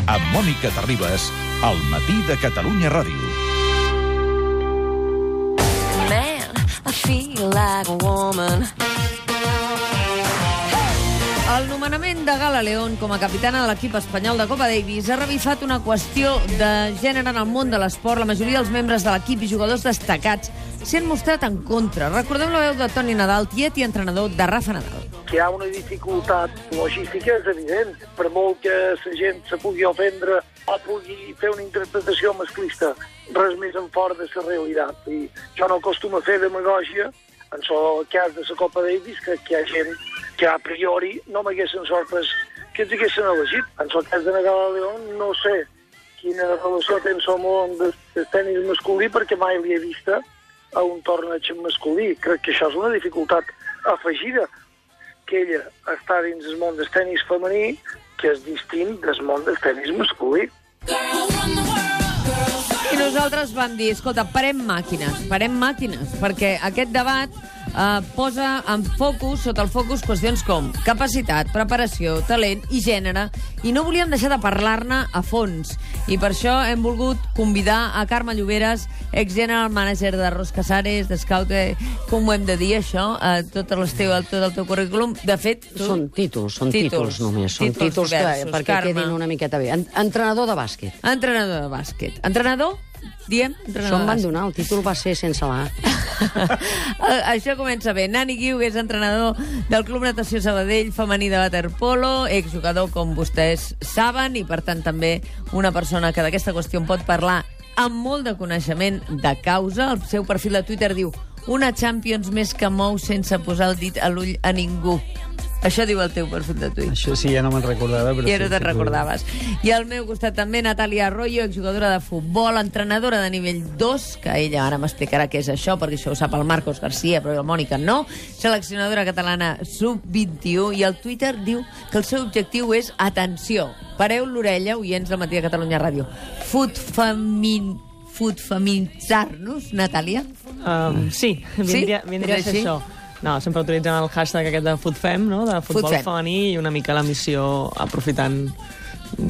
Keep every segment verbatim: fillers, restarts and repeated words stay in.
amb Mònica Terribas, al matí de Catalunya Ràdio. Man, I feel like a woman. El nomenament de Gala León com a capitana de l'equip espanyol de Copa Davis ha revifat una qüestió de gènere en el món de l'esport. La majoria dels membres de l'equip i jugadors destacats s'han mostrat en contra. Recordem la veu de Toni Nadal, tiet i entrenador de Rafa Nadal. Que hi ha una dificultat logística és evident. Per molt que la gent se pugui ofendre o pugui fer una interpretació masclista, res més en fora de la realitat. I jo no acostumo a fer demagògia en el cas de la Copa Davis, que, que hi ha gent que a priori no m'haguessin sorprès que ens haguessin elegit. En el cas de Gala León no sé quina relació té en el món del tenis masculí, perquè mai l'he vista a un torneig masculí. Crec que això és una dificultat afegida, que ella està dins del món del tenis femení, que és distint del món del tenis masculí. I nosaltres vam dir, escolta, parem màquines, parem màquines, perquè aquest debat eh, posa en focus, sota el focus, qüestions com capacitat, preparació, talent i gènere, i no volíem deixar de parlar-ne a fons. I per això hem volgut convidar a Carme Lloberes, ex-general manager de Ros Casares, de Scout, com ho hem de dir, això, eh, tot, el teu, tot el teu currículum. De fet, tu... Són títols, són títols, títols només. Són títols, títols diversos, que, perquè Carme. Quedin una miqueta bé. Entrenador de bàsquet. Entrenador de bàsquet. Entrenador? Diem? Això em van donar, el títol va ser sense l'A. Això comença bé. Nani Guiu és entrenador del Club Natació Sabadell femení de waterpolo, exjugador, com vostès saben, i per tant també una persona que d'aquesta qüestió en pot parlar amb molt de coneixement de causa. El seu perfil de Twitter diu: una Champions més que mou sense posar el dit a l'ull a ningú. Això diu el teu perfil de Twitter. Això sí, ja no me'n recordava. Però ja no sí, te'n sí, recordaves. I al meu costat també Natàlia Arroyo, exjugadora de futbol, entrenadora de nivell dos, que ella ara m'explicarà què és això, perquè això ho sap el Marcos García, però el Mònica no, seleccionadora catalana sub vint i u, i el Twitter diu que el seu objectiu és, atenció, pareu l'orella, oients del matí de Catalunya Ràdio, futfamin... futfeminitzar-nos, Natàlia? Um, sí, vindria, sí? vindria a ser això. No, sempre utilitzem el hashtag aquest de FutFem, no? De futbol Futfem. femení, i una mica la missió, aprofitant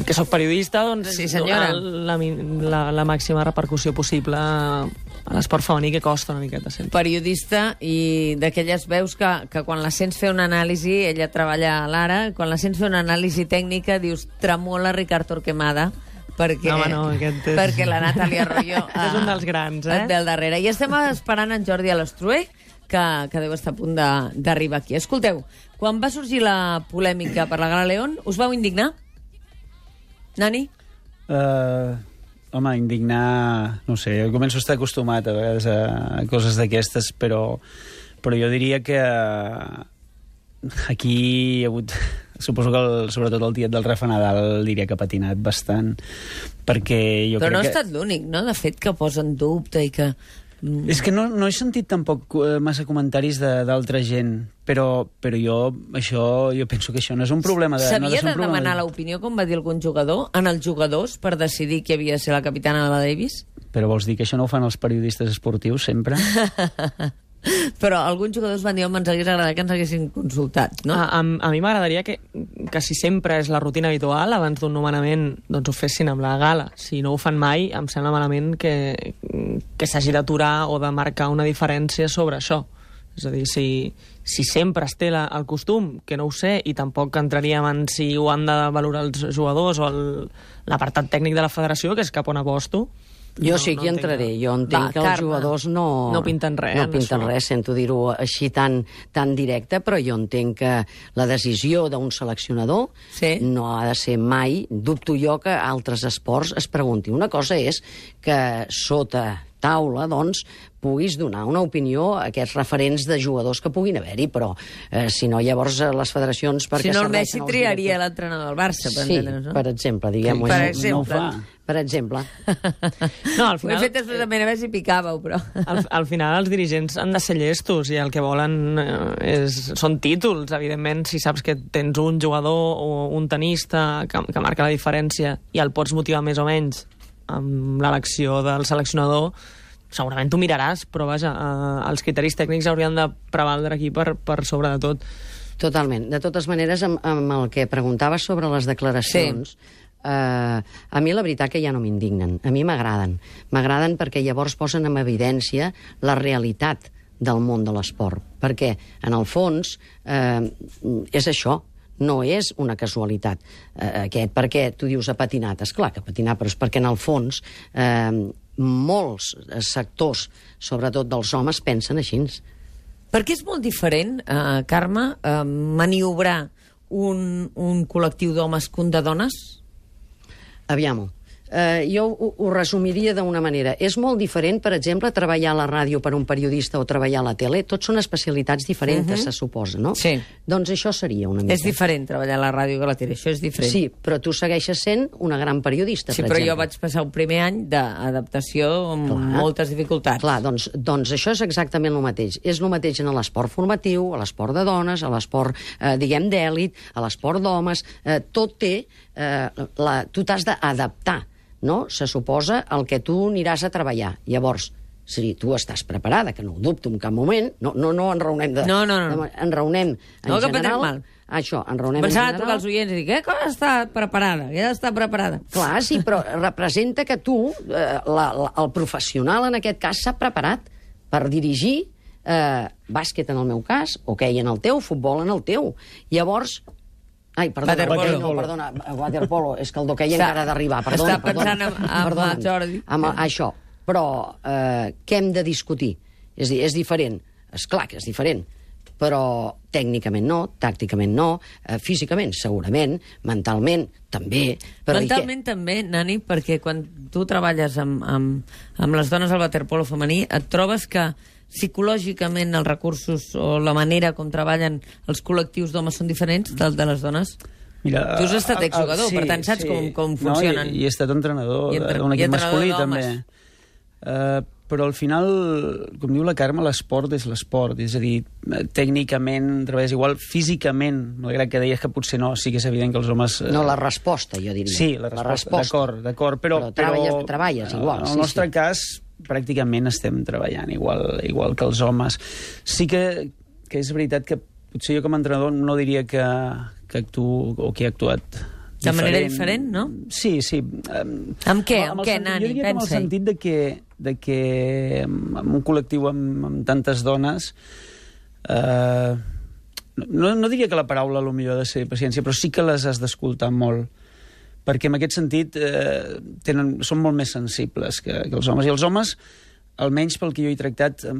que soc periodista, doncs sí, senyora. La, la, la màxima repercussió possible a l'esport femení, que costa una miqueta sempre. Periodista i d'aquelles veus que, que quan la sents fer una anàlisi, ella treballa a l'Ara, quan la sents fer una anàlisi tècnica dius tremola Ricard Torquemada, perquè, no, no, aquest és... perquè la Natàlia Arroyo és un dels grans, eh? Del darrere. I estem esperant en Jordi Alastrué, que, que deu estar a punt d'arribar aquí. Escolteu, quan va sorgir la polèmica per la Gala León, us vau indignar? Nani? Uh, home, indignar... No sé, jo començo a estar acostumat a vegades a coses d'aquestes, però, però jo diria que aquí hi ha hagut... Suposo que el, sobretot el tiet del Rafa Nadal diria que ha patinat bastant, perquè jo però crec que... Però no ha estat l'únic, no?, de fet, que posa en dubte i que... És que no, no he sentit tampoc massa comentaris d'altra gent, però, però jo, això, jo penso que això no és un problema de... S'havia no de, de de demanar de... l'opinió, com va dir algun jugador, en els jugadors per decidir qui havia de ser la capitana de la Davis? Però vols dir que això no ho fan els periodistes esportius sempre? Però alguns jugadors van dir, home, ens hagués agradat que ens haguessin consultat, no? A, a, a mi m'agradaria que, que si sempre és la rutina habitual, abans d'un nomenament, doncs ho fessin amb la gala. Si no ho fan mai, em sembla malament que, que s'hagi d'aturar o de marcar una diferència sobre això. És a dir, si, si sempre es té la, el costum, que no ho sé, i tampoc entraríem en si ho han de valorar els jugadors o l'apartat tècnic de la federació, que és cap on aposto. Jo no, sí que no hi entraré. Jo entenc Va, que els Carme, jugadors no... no pinten res, No en pinten això. res, sento dir-ho així tan, tan directe, però jo entenc que la decisió d'un seleccionador Sí. no ha de ser mai... Dubto jo que altres esports es preguntin. Una cosa és que sota taula, doncs, puguis donar una opinió a aquests referents de jugadors que puguin haver-hi, però eh, si no, llavors les federacions... Si no, el serveixen Messi els triaria directors? l'entrenador del Barça, per Sí, entendre'ns, no? per exemple, diguem-ho Per així. exemple. No ho fa. Per exemple. No, al Ho he final... fet després de veure si picàveu, però... Al, al final els dirigents han de ser llestos i el que volen eh, és, són títols. Evidentment, si saps que tens un jugador o un tenista que, que marca la diferència i el pots motivar més o menys amb l'elecció del seleccionador, segurament tu miraràs, però vaja, eh, els criteris tècnics haurien de prevaldre aquí per, per sobre de tot. Totalment. De totes maneres, amb, amb el que preguntaves sobre les declaracions, sí. eh, a mi la veritat que ja no m'indignen. A mi m'agraden. M'agraden perquè llavors posen en evidència la realitat del món de l'esport. Perquè, en el fons, eh, és això. No és una casualitat eh, aquest, perquè tu dius ha patinat. És clar que ha patinat, però és perquè en el fons eh, molts sectors, sobretot dels homes, pensen així. Perquè és molt diferent, eh, Carme, eh, maniobrar un, un col·lectiu d'homes que un de dones? Aviam-ho. Uh, jo ho, ho resumiria d'una manera. És molt diferent, per exemple, treballar a la ràdio per un periodista o treballar a la tele. Tots són especialitats diferents, uh-huh. se suposa, no? Sí. Doncs això seria una mica. És diferent treballar a la ràdio que a la tele, això és diferent. Sí, però tu segueixes sent una gran periodista, sí, per exemple. Sí, però jo vaig passar un primer any d'adaptació amb clar, moltes dificultats. Clar, doncs, doncs això és exactament el mateix. És el mateix en l'esport formatiu, a l'esport de dones, a l'esport, eh, diguem, d'èlit, a l'esport d'homes. Eh, tot té... Eh, la, tu t'has d'adaptar, no? Se suposa el que tu aniràs a treballar. Llavors, si tu estàs preparada, que no ho dubto en cap moment, no, no, no enraonem de... No, no, no. De, enraonem en no, general... mal. Això, enraonem en Pensava general... trucar als oients i dir, que has estat preparada, que has estat preparada. Clar, sí, però representa que tu, eh, la, la, el professional en aquest cas, s'ha preparat per dirigir eh, bàsquet en el meu cas, hoquei en el teu, futbol en el teu. Llavors... Ai, perdona, Waterpolo. no, perdona, waterpolo, és que el d'hoquei encara ha d'arribar. Perdona, està pensant perdona, en, en perdona, el Jordi. Amb això. Però eh, què hem de discutir? És dir, és diferent. És clar que és diferent. Però tècnicament no, tàcticament no, eh, físicament segurament, mentalment també. Però mentalment també, Nani, perquè quan tu treballes amb, amb, amb les dones al waterpolo femení et trobes que psicològicament els recursos o la manera com treballen els col·lectius d'homes són diferents del de les dones? Mira, tu has estat exjugador, sí, per tant saps sí. com, com funcionen. No, i, i he estat entrenador d'un equip entrenador masculí, també. Uh, però al final, com diu la Carme, l'esport és l'esport. És a dir, tècnicament treballes igual, físicament, malgrat que deies que potser no, sí que és evident que els homes... Uh... No, la resposta, jo diria. Sí, la resposta, d'acord, d'acord. Però, però treballes, però, treballes igual. En el sí, nostre sí. cas, pràcticament estem treballant igual, igual que els homes. Sí que, que és veritat que potser jo com a entrenador no diria que, que actuo o que he actuat diferent. De manera diferent, no? Sí, sí. Um, amb què? Amb, amb què, sentit, Nani? Jo diria que amb el sentit de que, de que en un col·lectiu amb, amb tantes dones... Uh, no, no diria que la paraula potser ha de ser paciència, però sí que les has d'escoltar molt, perquè en aquest sentit eh, tenen, són molt més sensibles que, que els homes. I els homes, almenys pel que jo he tractat, eh,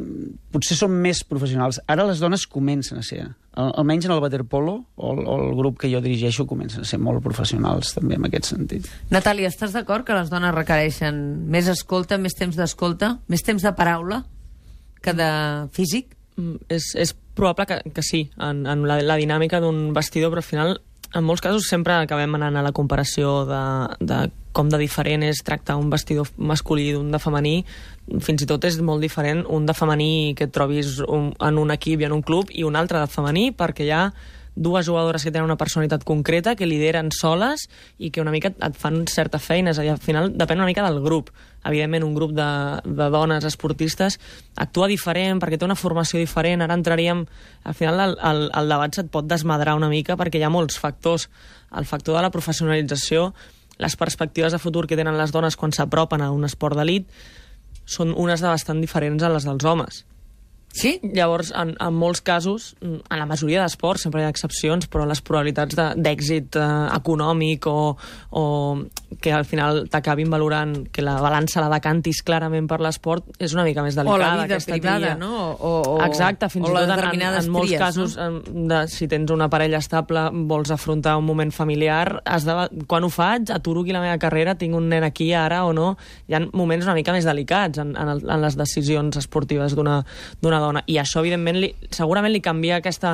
potser són més professionals. Ara les dones comencen a ser, al, almenys en el waterpolo, o el, o el grup que jo dirigeixo, comencen a ser molt professionals, també, en aquest sentit. Natàlia, estàs d'acord que les dones requereixen més escolta, més temps d'escolta, més temps de paraula que de físic? Mm, és, és probable que, que sí, en, en la, la dinàmica d'un vestidor, però al final... En molts casos sempre acabem anant a la comparació de, de com de diferent és tractar un vestidor masculí d'un de femení. Fins i tot és molt diferent un de femení que et trobis un, en un equip i en un club i un altre de femení, perquè hi ha dues jugadores que tenen una personalitat concreta, que lideren soles i que una mica et fan certa feina. És a dir, al final depèn una mica del grup. Evidentment, un grup de, de dones esportistes actua diferent perquè té una formació diferent. Ara entraríem... Al final, el, el, el debat se't pot desmadrar una mica perquè hi ha molts factors. El factor de la professionalització, les perspectives de futur que tenen les dones quan s'apropen a un esport d'elit són unes de bastant diferents a les dels homes. Sí? Llavors, en, en molts casos, en la majoria d'esports, sempre hi ha excepcions, però les probabilitats d'èxit eh, econòmic o, o que al final t'acabin valorant que la balança la decantis clarament per l'esport és una mica més delicada. O la vida privada, tria. no? O, o, Exacte, fins o i tot en, en, en molts tries, casos, no? de, si tens una parella estable, vols afrontar un moment familiar, has de, quan ho faig, aturo aquí la meva carrera, tinc un nen aquí ara o no, hi ha moments una mica més delicats en, en, el, en les decisions esportives d'una dona. I això, evidentment, li, segurament li canvia aquesta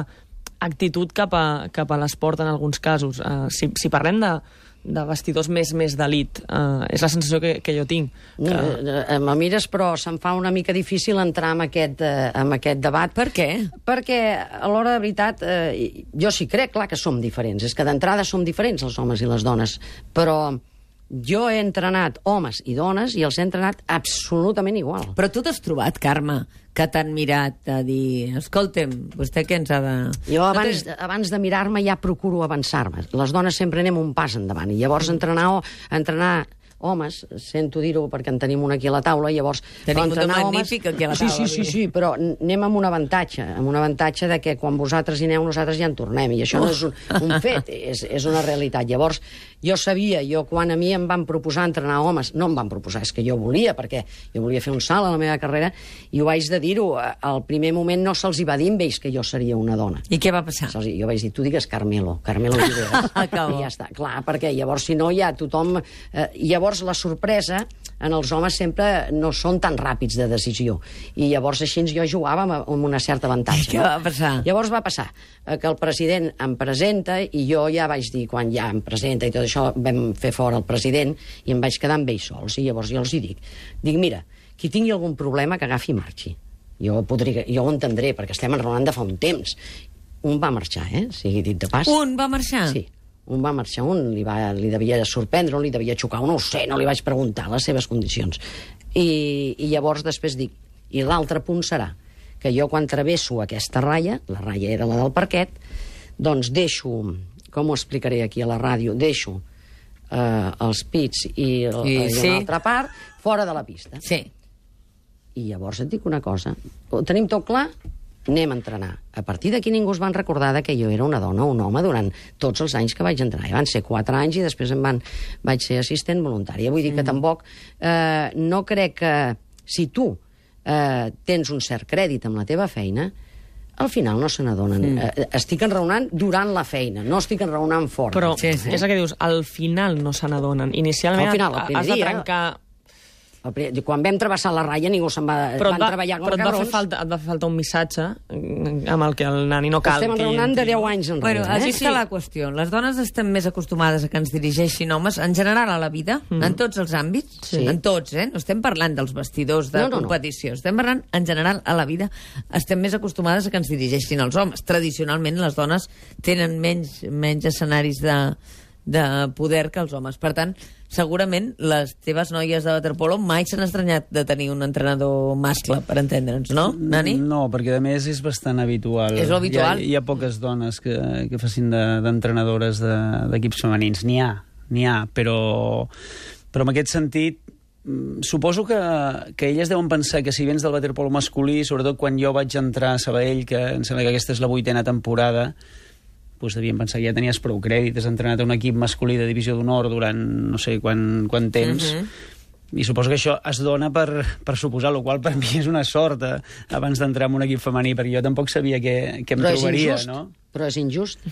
actitud cap a, cap a l'esport en alguns casos. Uh, si, si parlem de, de vestidors més més d'elit, uh, és la sensació que, que jo tinc. Que... Uh, me mires, però se'm fa una mica difícil entrar en aquest, uh, en aquest debat. Per què? Perquè, a l'hora de veritat, uh, jo sí crec, clar, que som diferents. És que d'entrada som diferents, els homes i les dones. Però jo he entrenat homes i dones i els he entrenat absolutament igual. Però tu t'has trobat, Carme, que t'han mirat a dir, escolta'm, vostè què ens ha de... Jo abans, abans de mirar-me ja procuro avançar-me. Les dones sempre anem un pas endavant i llavors entrenar, entrenar homes, sento dir-ho perquè en tenim un aquí a la taula, llavors... Tenim un magnífic aquí a la taula. Sí, sí, sí, sí, però anem amb un avantatge, amb un avantatge de que quan vosaltres hi aneu, nosaltres ja en tornem, i això oh. no és un, un fet, és, és una realitat. Llavors, jo sabia, jo quan a mi em van proposar entrenar homes, no em van proposar, és que jo volia, perquè jo volia fer un salt a la meva carrera, i ho vaig de dir-ho, al primer moment no se'ls hi va dir amb ells que jo seria una dona. I què va passar? Se'ls, jo vaig dir, tu digues Carmelo, Carmelo Oliveras. I ja està, clar, perquè llavors, si no, ja tothom... Eh, llavors, la sorpresa en els homes sempre no són tan ràpids de decisió. I llavors així jo jugava amb, amb una certa avantatge. I què va passar? Llavors va passar eh, que el president em presenta i jo ja vaig dir, quan ja em presenta i tot això, vam fer fora el president i em vaig quedar amb ells sols. I llavors jo els hi dic, dic, mira, qui tingui algun problema que agafi i marxi. Jo, podria, jo ho entendré, perquè estem enraonant de fa un temps. Un va marxar, eh? Sigui dit de pas. Un va marxar? Sí. Un va marxar, un li, va, li devia sorprendre, un li devia xocar, un no ho sé, no li vaig preguntar les seves condicions. I, i llavors després dic, i l'altre punt serà que jo quan travesso aquesta ratlla, la ratlla era la del parquet, doncs deixo, com ho explicaré aquí a la ràdio, deixo eh, els pits i, el, I, i sí. una altra part fora de la pista. Sí. I llavors et dic una cosa, ho tenim tot clar? Anem a entrenar. A partir d'aquí ningú es van recordar que jo era una dona o un home durant tots els anys que vaig entrenar. I van ser quatre anys i després em van, vaig ser assistent voluntària. Vull dir que tampoc eh, no crec que si tu eh, tens un cert crèdit amb la teva feina, al final no se n'adonen. Mm. Eh, estic enraonant durant la feina, no estic enraonant fora. Però sí, sí. És el que dius, al final no se n'adonen. Inicialment al final, has de trencar... Quan vam travessar la ratlla ningú se'n va, però van va, treballar com però cabrons. Però et va fer falta, et va fer falta un missatge amb el que el nani no cal. Estem enraonant de deu anys enrere. Bueno, així eh? està la qüestió. Les dones estem més acostumades a que ens dirigeixin homes, en general a la vida, mm. en tots els àmbits, sí. en tots, eh? No estem parlant dels vestidors de no, no, competició, no. Estem parlant en general a la vida, estem més acostumades a que ens dirigeixin els homes. Tradicionalment les dones tenen menys, menys escenaris de... de poder que els homes. Per tant, segurament les teves noies de waterpolo mai s'han estranyat de tenir un entrenador mascle, per entendre'ns, no, Nani? No, perquè a més és bastant habitual. És habitual? Hi ha, hi ha poques dones que, que facin d'entrenadores de, d'equips femenins. N'hi ha, n'hi ha, però, però en aquest sentit suposo que, que elles deuen pensar que si vens del waterpolo masculí, sobretot quan jo vaig entrar a Sabadell, que em sembla que aquesta és la vuitena temporada, doncs devien pensar que ja tenies prou crèdit, has entrenat a un equip masculí de divisió d'honor durant no sé quant, quant temps, uh-huh. i suposo que això es dona per, per suposar, el qual per mi és una sort eh, abans d'entrar en un equip femení, perquè jo tampoc sabia què, què em però trobaria, injust, no? Però és injust.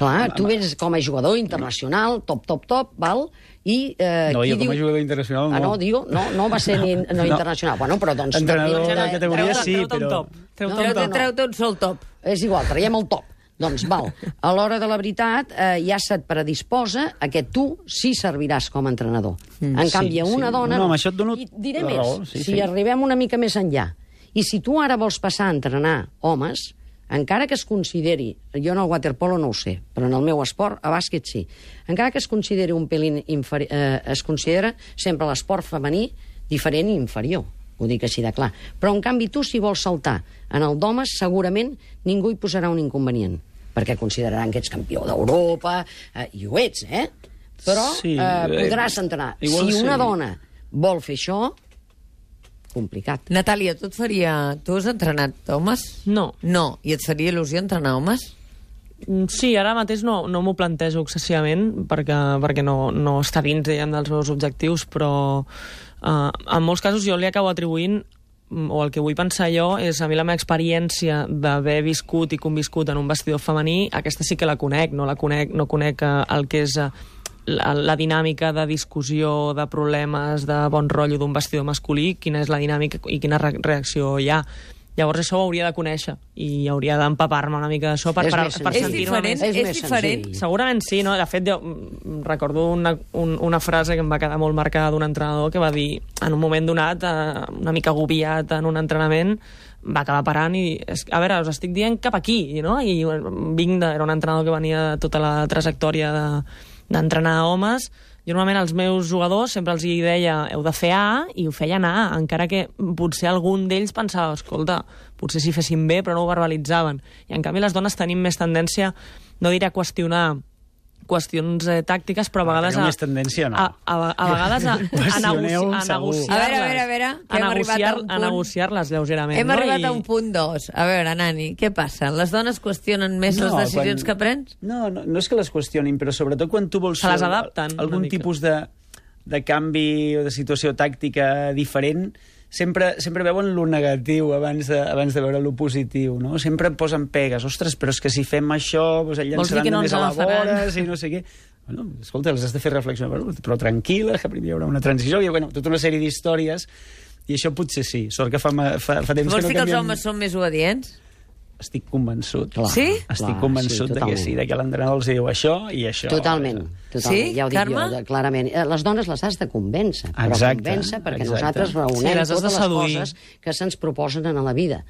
Clar, tu vens com a jugador internacional, top, top, top, val? I, eh, no, jo com diu... a jugador internacional no. Ah, no, digo, no, no va ser ni, no, no. internacional. Bueno, però doncs... Entrenador de, de categoria treu, sí, treu però... Treu no, no, no. Treu-te un sol top. És igual, traiem el top. Doncs val, a l'hora de la veritat eh, ja se't predisposa a que tu sí serviràs com a entrenador. Mm, en canvi, sí, una sí. dona... No, amb això et dono I diré la més, raó, sí, si sí. arribem una mica més enllà, i si tu ara vols passar a entrenar homes, encara que es consideri, jo en el waterpolo no ho sé, però en el meu esport, a bàsquet sí, encara que es consideri un pelín inferi- eh, es considera sempre l'esport femení diferent i inferior. Ho dic així de clar. Però, en canvi, tu, si vols saltar en el d'homes, segurament ningú hi posarà un inconvenient, perquè consideraran que ets campió d'Europa, eh, i ho ets, eh? Però sí, eh, podràs entrenar. Si una sí. dona vol fer això, complicat. Natàlia, tu et faria... Tu has entrenat homes? No. No. I et faria il·lusió entrenar homes? Sí, ara mateix no, no m'ho plantejo excessivament perquè, perquè no, no està dins diguem, dels meus objectius, però eh, en molts casos jo li acabo atribuint, o el que vull pensar jo és a mi la meva experiència d'haver viscut i conviscut en un vestidor femení, aquesta sí que la conec, no la conec, no conec el que és la, la dinàmica de discussió, de problemes, de bon rotllo d'un vestidor masculí, quina és la dinàmica i quina re reacció hi ha. Llavors això ho hauria de conèixer i hauria d'empapar-me una mica d'això per, per, per sentir-me més. És, és diferent? Segurament sí, no? De fet, jo recordo una, un, una frase que em va quedar molt marcada d'un entrenador que va dir, en un moment donat, eh, una mica agobiat en un entrenament, va acabar parant i, a veure, us estic dient cap aquí, no? I vinc de, era un entrenador que venia de tota la trajectòria de d'entrenar homes, jo normalment als meus jugadors sempre els hi deia heu de fer A i ho feien A, encara que potser algun d'ells pensava, escolta, potser si fessin bé però no ho verbalitzaven. I en canvi les dones tenim més tendència, no diré a qüestionar qüestions eh, tàctiques, però a vegades... Teniu més tendència, no? A, a, a vegades a, a, negoci a negociar-les. A veure, a veure, a veure, que hem arribat a un punt... A negociar-les lleugerament. Hem no? arribat I... a un punt dos. A veure, Nani, què passa? Les dones qüestionen més no, les decisions quan... que prens? No, no, no és que les qüestionin, però sobretot quan tu vols se les fer adapten, algun tipus de, de canvi o de situació tàctica diferent, sempre, sempre veuen lo negatiu abans de, abans de veure lo positiu, no? Sempre posen pegues. Ostres, però és que si fem això, doncs el llançaran no més a la vora, i no sé què. Bueno, escolta, les has de fer reflexionar, però tranquil·la, que primer hi haurà una transició, i bueno, tota una sèrie d'històries, i això potser sí. Sort que fa, fa, fa temps Vols que no dir que els canviem... homes són més obedients? Estic convençut. Clar, Sí? Estic clar, convençut sí, de que sí, de que l'entrenador els diu això i això. Totalment, totalment. Sí, Ja ho dic Carme? jo, de- clarament. Eh, Les dones les has de convèncer, però Exacte, convèncer perquè exacte. nosaltres Sí, raonem les has de totes les seduir. coses que se'ns proposen a la vida.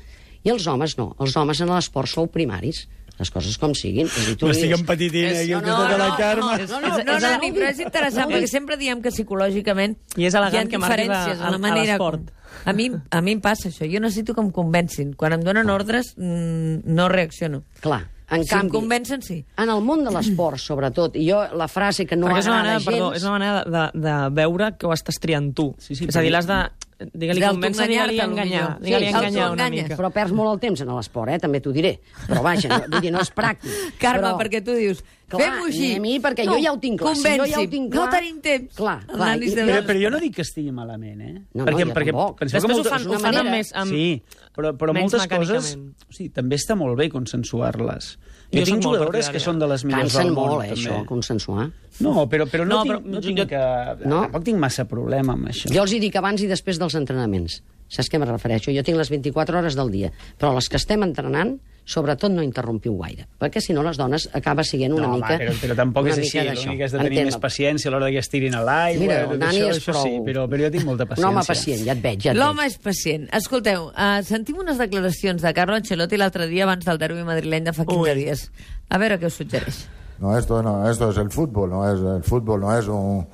I els homes no. Els homes en l'esport sou primaris. Les coses com siguin. És a dir, tu M'estic dius- empetitint És- aquí, no, que no, toca la no, Carme. no, No, no, no, és- no, és- Nani, però és interessant, perquè sempre diem que psicològicament I és elegant hi ha que marquis a- diferències en a- la a manera... l'esport. A mi, a mi em passa això. Jo necessito que em convencin. Quan em donen ordres, mm, no reacciono. Clar, en Si em canvi, convencen, sí. en el món de l'esport, sobretot, i jo la frase que no Perquè és una agrada manera, gens... perdó, és una manera de, de, de veure que ho estàs triant tu. Sí, sí, és a dir, però- l'has de... Digue-li convèncer, digue-li D'autoenganyar-te, enganyar. potser. Digue-li Sí, enganyar una autoenganya. mica. Però perds molt el temps en l'esport, eh? També t'ho diré. Però vaja, no, vull dir, no és pràctic. Carme, però... perquè tu dius, Clar, fem-ho així. a mi, perquè jo ja ho tinc clar. Si jo ja ho convenci'm. tinc clar- No tenim temps. Clar, El clar, Nani i- de Però, veure- però jo no dic que estigui malament, eh? No, no, perquè, jo perquè tampoc. penseu que Després ho molta- fan, és ho una fan amb manera- més... Amb... Sí, però, però menys moltes coses... mecànicament. O sigui, també està molt bé consensuar-les. Jo Jo, soc tinc molt jugadores partidària. que són de les millors Cansen del món, molt, eh, també. això, consensuar. No, però, però no, No, tinc, però no jo- tinc jo- que... No? Tampoc tinc massa problema amb això. Jo els hi dic abans i després dels entrenaments. Saps què me refereixo? Jo tinc les vint-i-quatre hores del dia, però les que estem entrenant, sobretot no interrompiu gaire, perquè si no les dones acaba sent una no, mica... home, però, però tampoc una és així. mica d'això. L'únic que has de tenir Entén-me. més paciència a l'hora que es tirin a l'aigua. Mira, tot el Nani això, és això prou... sí, però, però jo tinc molta Un paciència. home pacient, ja et veig, ja et L'home veig. és pacient. Escolteu, uh, sentim unes declaracions de Carlo Ancelotti l'altre dia abans del derbi madrileny de fa quinze Ui. dies. A veure què us suggereix. No, esto no, esto es el fútbol, no es el fútbol, no es un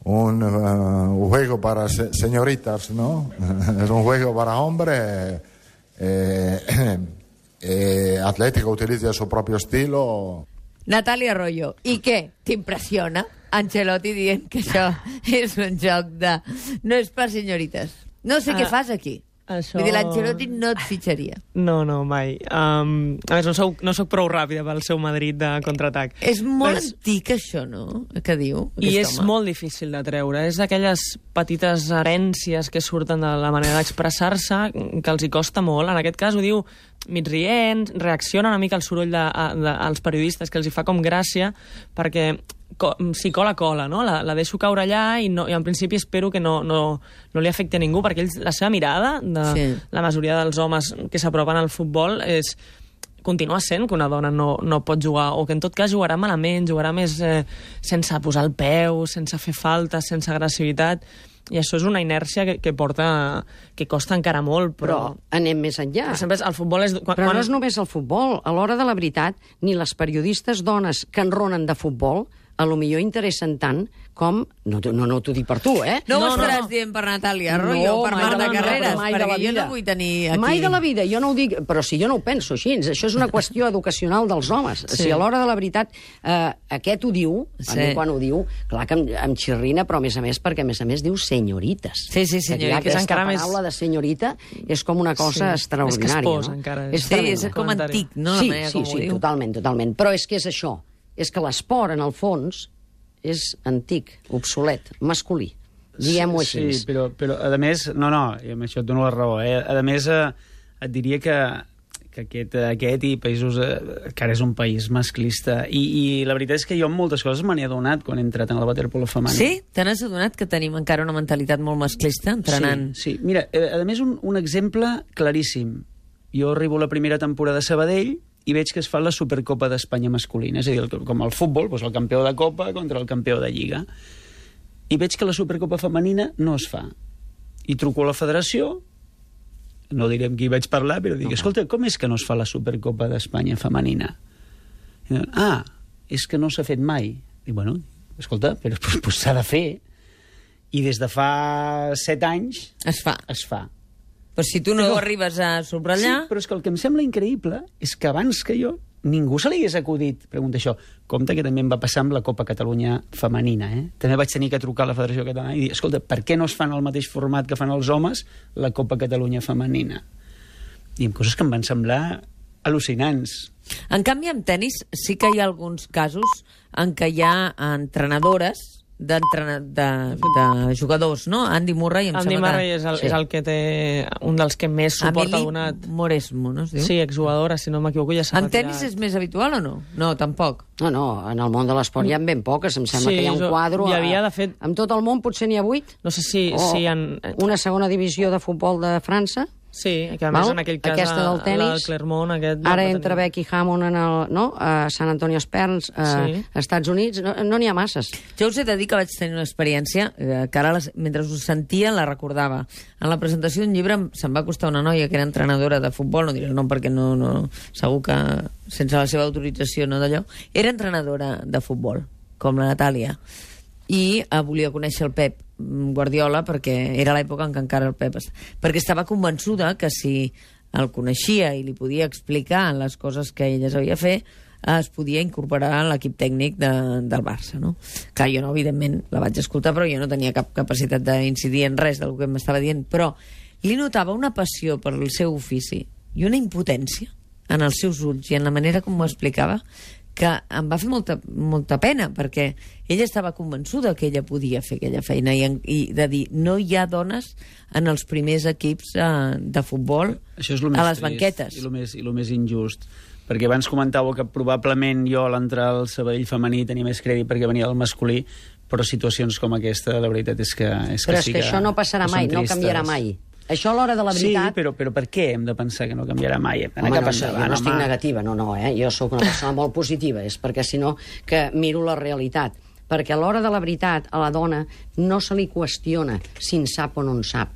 un uh, juego para se señoritas, ¿no? Es un juego para hombres. Eh, eh, Atlético utilizza il suo proprio estilo. Natàlia Arroyo. I què? T'impressiona Ancelotti dient que això és un joc de... No és per senyorites. No sé Ah, què fas aquí. això- Vull dir, l'Ancelotti no et fitxaria. No, no, mai. Um, a més, no soc, no soc prou ràpida pel seu Madrid de contraatac. És molt És- antic, això, no? Que diu I aquest és home. molt difícil de treure. És d'aquelles petites herències que surten de la manera d'expressar-se que els hi costa molt. En aquest cas ho diu mig rient, reacciona una mica al soroll de, de, als periodistes, que els hi fa com gràcia, perquè co si cola, cola, no? La, la deixo caure allà i, no, i en principi espero que no, no, no li afecti a ningú, perquè ells, la seva mirada, de Sí. la majoria dels homes que s'apropen al futbol, és continua sent que una dona no, no pot jugar, o que en tot cas jugarà malament, jugarà més eh, sense posar el peu, sense fer faltes, sense agressivitat, i això és una inèrcia que, que porta, que costa encara molt, Però però... anem més enllà. però sempre és, el futbol és... Quan, Però quan... no és només el futbol. A l'hora de la veritat, ni les periodistes dones que enronen de futbol a lo millor interessen tant com... No, no, no t'ho dic per tu, eh? No, ho No, no, estaràs no. dient per Natàlia Arroyo o per mai Marta de la- Carreras, mai de la perquè jo vida. no vull tenir aquí... Mai de la vida, jo no ho dic, però si jo no ho penso així, això és una qüestió educacional dels homes. Sí. Si a l'hora de la veritat eh, aquest ho diu, a Sí. mi quan ho diu, clar que em, em xirrina, però a més a més perquè a més a més diu senyorites. Sí, sí, Que senyorites. ja aquesta És encara més- paraula de senyorita és com una cosa Sí. extraordinària. És caspós, no? encara. És Sí, tremendo. és com comentari. antic, no? Sí, la manera sí, com sí, ho diu. totalment, totalment. Però és que és això, és que l'esport, en el fons, és antic, obsolet, masculí. Diguem-ho així. Sí, però, però a més, no, no, i amb això et dono la raó, eh? A més, eh, et diria que, que aquest, aquest i països, eh, que ara és un país masclista, i, i la veritat és que jo en moltes coses me n'he adonat quan he entrat en el waterpolo femení. Sí? Te n'has adonat que tenim encara una mentalitat molt masclista entrenant? Sí, sí. Mira, eh, a més, un, un exemple claríssim. Jo arribo a la primera temporada a Sabadell i veig que es fa la Supercopa d'Espanya masculina, és a dir, el, com el futbol, doncs el campió de Copa contra el campió de Lliga. I veig que la Supercopa femenina no es fa. I truco a la federació, no diré amb qui vaig parlar, però dic, escolta, com és que no es fa la Supercopa d'Espanya femenina? I diuen, ah, és que no s'ha fet mai. Dic, bueno, escolta, però pues, pues, s'ha de fer. I des de fa set anys Es fa. es fa. Però si tu no Però- arribes a subratllar... Sí, però és que el que em sembla increïble és que abans que jo ningú se li hagués acudit pregunta això. Compte que també em va passar amb la Copa Catalunya femenina. Eh? També vaig tenir que trucar a la Federació Catalana i dir, escolta, per què no es fan el mateix format que fan els homes la Copa Catalunya femenina? I amb coses que em van semblar al·lucinants. En canvi, en tennis sí que hi ha alguns casos en què hi ha entrenadores d'entrena- de, de jugadors, no? Andy Murray, em Andy sembla Murray que... és el, Sí. és el que té un dels que més suport ha Emily donat. Moresmo, no es diu? Sí, exjugadora, si no m'equivoco, ja s'ha En retirat. tennis és més habitual o no? No, tampoc. No, no, en el món de l'esport hi ha ben poques. Em sembla Sí, que hi ha un jo- quadre... hi havia, a- de fet- En tot el món potser n'hi ha vuit. No sé si, O si en... una segona divisió de futbol de França. Sí, que a més Val? en aquell cas Aquesta del la- tenis. la del Clermont, aquest... Ara va entra tenir- Becky Hammond en el, no? a Sant Antonio Spurs, a Sí. Estats Units. No no n'hi ha masses. Jo us he de dir que vaig tenir una experiència eh, que ara, les, mentre us sentia, la recordava. En la presentació d'un llibre em- se'm va costar una noia que era entrenadora de futbol, no diré el nom perquè no, no, segur que sense la seva autorització, no d'allò. Era entrenadora de futbol, com la Natàlia. I eh, volia conèixer el Pep Guardiola perquè era l'època en què encara el Pep... est- Perquè estava convençuda que si el coneixia i li podia explicar les coses que ella sabia fer, es podia incorporar a l'equip tècnic de, del Barça, no? Que jo, no, evidentment, la vaig escoltar, però jo no tenia cap capacitat d'incidir en res del que m'estava dient, però li notava una passió per el seu ofici i una impotència en els seus ulls i en la manera com ho explicava que em va fer molta, molta pena, perquè ella estava convençuda que ella podia fer aquella feina i, en- i de dir, no hi ha dones en els primers equips eh, de futbol Això és lo més a les trist banquetes. I el més, i lo més injust. Perquè abans comentàveu que probablement jo a l'entrar al Sabadell femení tenia més crèdit perquè venia del masculí, però situacions com aquesta, la veritat és que és Però que és sí que això no passarà que són mai, no tristes. canviarà mai. Això a l'hora de la veritat... Sí, però, però per què hem de pensar que no canviarà mai? Hem d'anar Home, cap no, sé, jo endavant, no estic home. negativa, no, no, eh? Jo sóc una persona molt positiva, és perquè si no que miro la realitat. Perquè a l'hora de la veritat, a la dona no se li qüestiona si en sap o no en sap.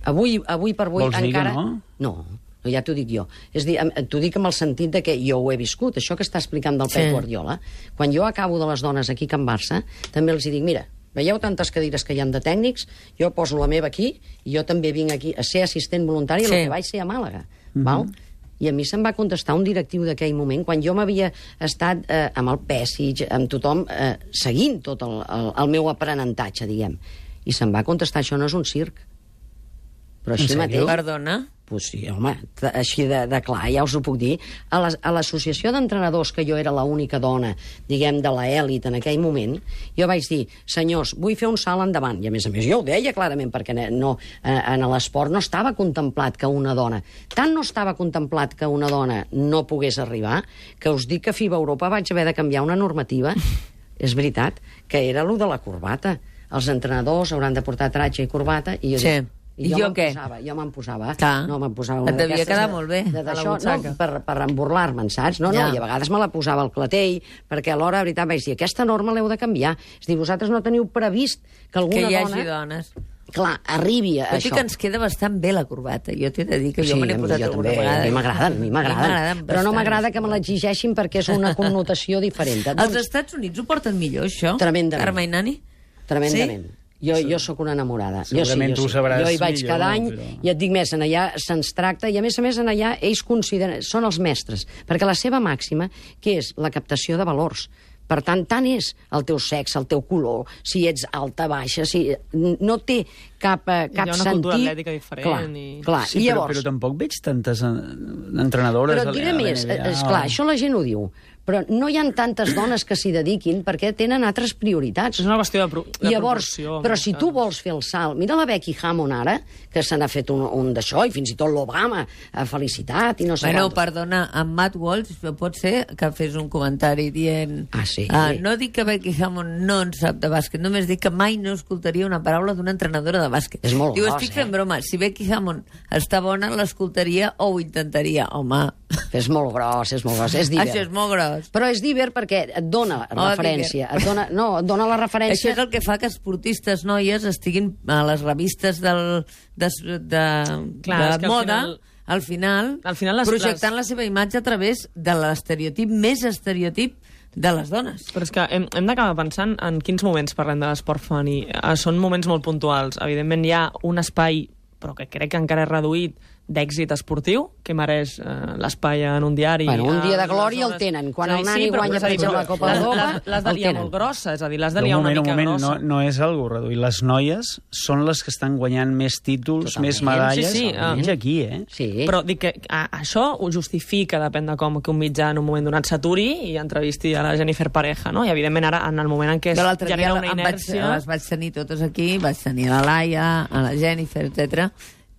Avui, avui per avui Vols dir que encara... no? No, no, ja t'ho dic jo. És dir, em- t'ho dic amb el sentit de que jo ho he viscut, això que està explicant del Sí. Pep Guardiola. Quan jo acabo de les dones aquí a Can Barça, també els hi dic, mira, veieu tantes cadires que hi ha de tècnics? Jo poso la meva aquí i jo també vinc aquí a ser assistent voluntari, Sí. el que vaig ser a Màlaga. Val? I a mi se'm va contestar un directiu d'aquell moment, quan jo m'havia estat eh, amb el Pessic, amb tothom, eh, seguint tot el, el, el meu aprenentatge, diguem. I se'm va contestar, això no és un circ. Però així En sèrio? mateix... Perdona? Pues sí, home, t- així de, de clar, ja us ho puc dir. A les- a l'associació d'entrenadors, que jo era l'única dona, diguem, de l'elit en aquell moment, jo vaig dir, senyors, vull fer un salt endavant. I a més a més, jo ho deia clarament, perquè ne- no, eh, en l'esport no estava contemplat que una dona... Tant no estava contemplat que una dona no pogués arribar, que us dic que a FIBA Europa vaig haver de canviar una normativa, és veritat, que era lo de la corbata. Els entrenadors hauran de portar tratge i corbata, i jo Sí. dic, I jo jo me'n què? posava, jo me'n posava. Clar. No, me'n posava Et una devia d'aquestes quedar de- molt bé, de- a la d'això, butxaca. no, per, per emborlar-me'n, saps? No, no, Ja. i a vegades me la posava al clatell, perquè alhora, la veritat, vaig dir, aquesta norma l'heu de canviar. És dir, vosaltres no teniu previst que alguna Que hi dona... hagi dones. Clar, arribi a Tot i això. que ens queda bastant bé la corbata. Jo t'he de dir que jo Sí, me n'he a mi- posat jo alguna també, vegada. a mi m'agraden, a mi m'agraden. m'agraden Però no bastant. m'agrada que me l'exigeixin perquè és una connotació diferent. Els Doncs, Estats Units ho porten millor, això? Tremendament. Carme i Nani? tremendament. Jo, jo sóc una enamorada. Segurament jo sí, tu jo ho sí. sabràs Jo hi vaig millor, cada any però- i et dic més, en allà se'ns tracta i a més a més en allà ells consideren, són els mestres, perquè la seva màxima, que és la captació de valors. Per tant, tant és el teu sexe, el teu color, si ets alta, baixa, si... no té cap, eh, cap Hi ha una sentit... cultura atlètica diferent Clar, i- clar. Sí, I però, llavors, però tampoc veig tantes eh, entrenadores però et diré a la més, N B A. és clar, això la gent ho diu, però no hi ha tantes dones que s'hi dediquin perquè tenen altres prioritats. És una qüestió de, pro de Llavors, proporció. però en si aquest tu cas. vols fer el salt, mira la Becky Hammond ara, que se n'ha fet un, un d'això, i fins i tot l'Obama ha felicitat, i no sé Bueno, quantos. perdona, en Matt Walsh pot ser que fes un comentari dient... Ah, sí? Ah, no dic que Becky Hammond no en sap de bàsquet, només dic que mai no escoltaria una paraula d'una entrenadora de bàsquet. És molt Diu, gros, estic eh? fent broma, si Becky Hammond està bona, l'escoltaria o ho intentaria. Home, És molt gros, és molt gros, és divert. això és molt gros. Però és divert perquè et dona Oh, referència, et dona, no, et dona la Això referència... és el que fa que esportistes noies estiguin a les revistes del, de, de, Clar, és de que al moda, final- al final, Al final les- projectant les- la seva imatge a través de l'estereotip més estereotip de les dones. Però és que hem, hem d'acabar pensant en quins moments parlem de l'esport femení. Eh, són moments molt puntuals. Evidentment hi ha un espai, però que crec que encara és reduït, d'èxit esportiu, que mereix eh, l'espai en un diari. Bueno, un dia de eh, glòria el tenen. Quan el nani guanya, per exemple, la Copa d'Europa, l'has de liar molt grossa, és a dir, l'has de liar una mica moment, grossa. No, no és algo reduït. Les noies són les que estan guanyant més títols, Totalment. més medalles. Sí, sí, Menys aquí, eh? Sí. Però dic que a, això ho justifica, depèn de com que un mitjà en un moment donat s'aturi i entrevisti a la Jennifer Pareja, no? I evidentment ara, en el moment en què es Jo l'altre dia genera una em vaig, inèrcia... les vaig tenir totes aquí, vaig tenir la Laia, a la Jennifer, etcètera.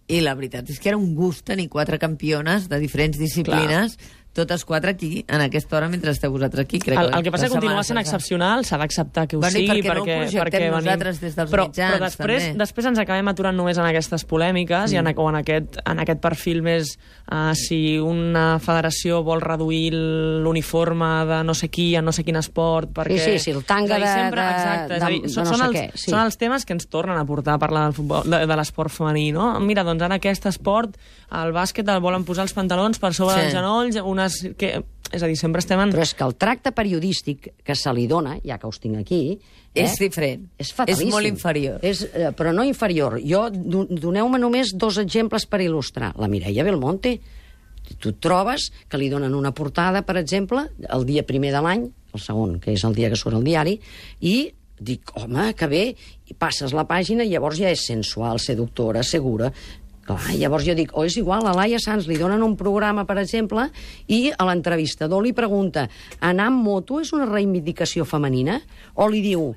I la veritat és que era un gust tenir quatre campiones de diferents disciplines, clar, totes quatre aquí, en aquesta hora, mentre esteu vosaltres aquí. Crec el, el que passa la és que continua setmana sent passada. excepcional, s'ha d'acceptar que ho Bueno, i sigui, perquè no ho perquè, projectem perquè venim... nosaltres des dels però, mitjans, però després, també. després ens acabem aturant només en aquestes polèmiques mm. i en, o en aquest, en aquest perfil més uh, si una federació vol reduir l'uniforme de no sé qui a no sé quin esport, perquè... Sí, sí, sí, el tanga de- sempre, de- exacte, és a dir, de- són, de no són, sé els, què, sí. són els temes que ens tornen a portar a parlar del futbol, de, de l'esport femení, no? Mira, doncs ara aquest esport, el bàsquet el volen posar els pantalons per sobre Sí. dels genolls, unes... Que, és a dir, sempre estem en... Però és que el tracte periodístic que se li dona, ja que us tinc aquí... Eh, És diferent. És fatalíssim. És molt inferior. És, eh, però no inferior. Jo, do- doneu-me només dos exemples per il·lustrar. La Mireia Belmonte, tu et trobes que li donen una portada, per exemple, el dia primer de l'any, el segon, que és el dia que surt el diari, i dic, home, que bé, i passes la pàgina i llavors ja és sensual, seductora, segura... Clar, llavors jo dic, o oh, és igual, a Laia Sanz li donen un programa, per exemple, i a l'entrevistador li pregunta, anar amb moto és una reivindicació femenina? O li diu,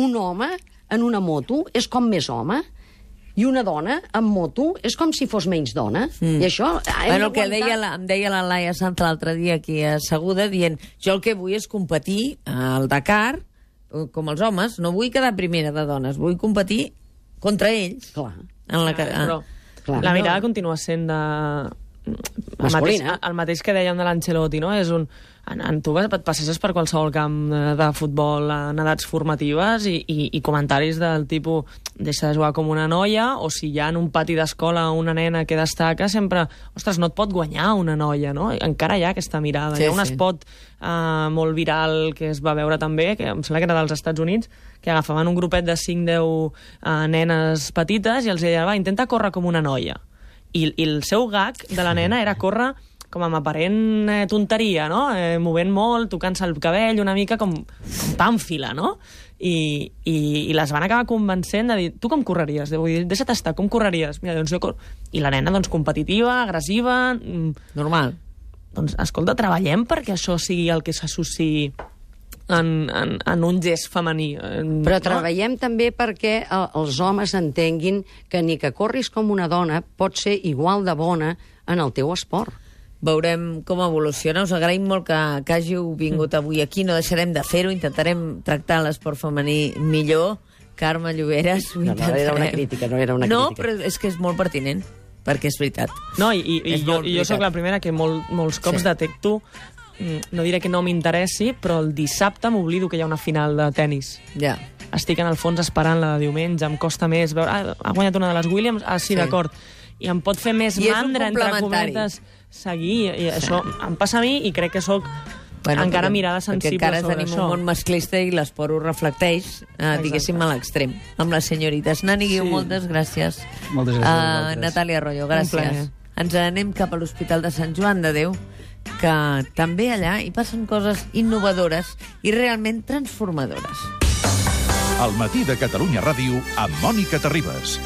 un home en una moto és com més home? I una dona amb moto és com si fos menys dona? Mm. I això... Bueno, el que deia la, em deia la Laia Sanz l'altre dia aquí asseguda, dient, jo el que vull és competir al Dakar, com els homes, no vull quedar primera de dones, vull competir contra ells. Clar. En la, Clar, però... Clar, la mirada no. continua sent de... El mateix, Masculina. el mateix que dèiem de l'Ancelotti, no? És un... En, en tu et passes per qualsevol camp de, de futbol en edats formatives i, i, i comentaris del tipus deixa de jugar com una noia, o si hi ha en un pati d'escola una nena que destaca, sempre, ostres, no et pot guanyar una noia, no? Encara hi ha aquesta mirada. Sí, hi ha un sí. spot uh, molt viral que es va veure també, que em sembla que era dels Estats Units, que agafaven un grupet de cinc deu uh, nenes petites i els deien, va, intenta córrer com una noia. I, i el seu gag de la nena era córrer com amb aparent eh, tonteria, no? Eh, movent molt, tocant-se el cabell, una mica com, com pàmfila, no? I, i, I les van acabar convencent de dir, tu com correries? Vull dir, deixa't estar, com correries? Mira, doncs jo cor... I la nena, doncs, competitiva, agressiva... Mm, Normal. doncs, escolta, treballem perquè això sigui el que s'associï en, en, en un gest femení. En, Però treballem també perquè el, els homes entenguin que ni que corris com una dona pot ser igual de bona en el teu esport. Veurem com evoluciona. Us agraïm molt que, que hàgiu vingut avui aquí. No deixarem de fer-ho. Intentarem tractar l'esport femení millor. Carme Lloberes, ho No, no, intentarem. era una crítica, no era una no, crítica. però és que és molt pertinent, perquè és veritat. No, i, i, i És jo, molt i jo sóc veritat. la primera que molt, molts cops Sí. sí. detecto, mm, no diré que no m'interessi, però el dissabte m'oblido que hi ha una final de tennis. Ja. Estic en el fons esperant la de diumenge, em costa més veure... Ah, ha guanyat una de les Williams? Ah, sí, Sí. sí. d'acord. I em pot fer més I és un mandra, entre complementari. cometes, seguir. I això em passa a mi i crec que sóc Bueno, encara perquè, mirada sensible perquè encara sobre tenim això. un món masclista i l'esport ho reflecteix, eh, diguéssim, a l'extrem. Amb les senyorites. Nani Guiu, Sí. moltes gràcies. Moltes gràcies a Uh, vosaltres. Natàlia Arroyo, plaer. gràcies. Ens anem cap a l'Hospital de Sant Joan de Déu, que també allà hi passen coses innovadores i realment transformadores. El matí de Catalunya Ràdio amb Mònica Terribas.